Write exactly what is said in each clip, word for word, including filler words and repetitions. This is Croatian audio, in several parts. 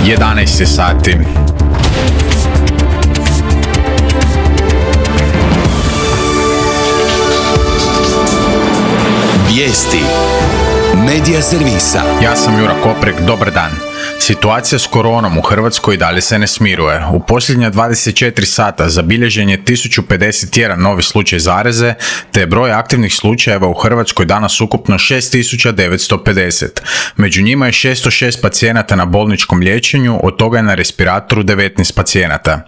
jedanaest je sati. Vijesti Medija servisa. Ja sam Jura Koprek, dobar dan. Situacija s koronom u Hrvatskoj dalje se ne smiruje. U posljednja dvadeset četiri sata zabilježen je tisuću pedeset jedan novi slučaj zaraze, te je broj aktivnih slučajeva u Hrvatskoj danas ukupno šest tisuća devetsto pedeset. Među njima je šesto šest pacijenata na bolničkom liječenju, od toga je na respiratoru devetnaest pacijenata.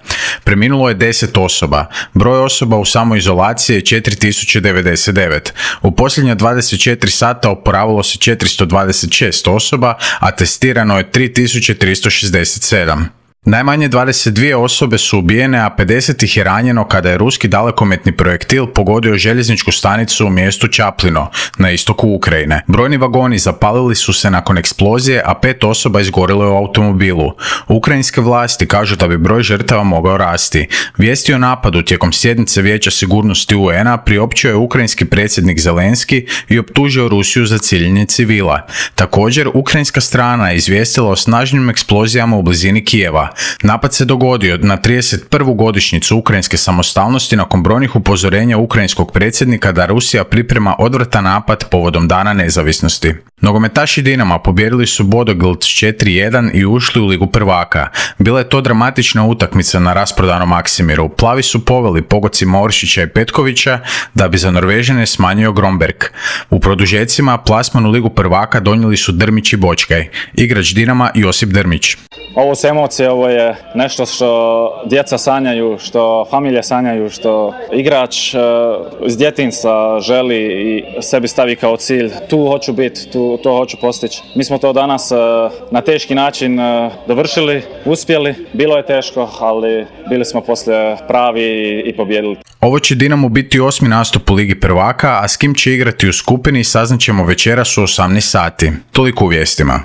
Preminulo je deset osoba. Broj osoba u samoizolaciji je četiri tisuće devedeset devet. U posljednja dvadeset četiri sata oporavilo se četiristo dvadeset šest osoba, a testirano je tri tisuće tristo šezdeset sedam. Najmanje dvadeset dvije osobe su ubijene, a pedeset ih je ranjeno kada je ruski dalekometni projektil pogodio željezničku stanicu u mjestu Čaplino, na istoku Ukrajine. Brojni vagoni zapalili su se nakon eksplozije, a pet osoba izgorilo je u automobilu. Ukrajinske vlasti kažu da bi broj žrtava mogao rasti. Vijesti o napadu tijekom sjednice Vijeća sigurnosti U N-a priopćio je ukrajinski predsjednik Zelenski i optužio Rusiju za ciljanje civila. Također, ukrajinska strana je izvijestila o snažnim eksplozijama u blizini Kijeva. Napad se dogodio na trideset prvu godišnjicu ukrajinske samostalnosti nakon brojnih upozorenja ukrajinskog predsjednika da Rusija priprema odvratan napad povodom Dana nezavisnosti. Nogometaši Dinama pobijedili su Bodoglimt s četiri jedan i ušli u Ligu prvaka. Bila je to dramatična utakmica na rasprodanom Maksimiru. Plavi su poveli pogodcima Oršića i Petkovića da bi za Norvežane smanjio Gromberg. U produžecima plasman u Ligu prvaka donijeli su Drmić i Bočkaj. Igrač Dinama Josip Drmić. Ovo su emocije, ovo je nešto što djeca sanjaju, što familije sanjaju, što igrač uh, iz djetinjstva želi i sebi stavi kao cilj. Tu hoću biti, tu, to hoću postići. Mi smo to danas uh, na teški način uh, dovršili, uspjeli. Bilo je teško, ali bili smo poslije pravi i, i pobjedili. Ovo će Dinamo biti osmi nastup u Ligi prvaka, a s kim će igrati u skupini saznaćemo večeras u osamnaest sati. Toliko u vijestima.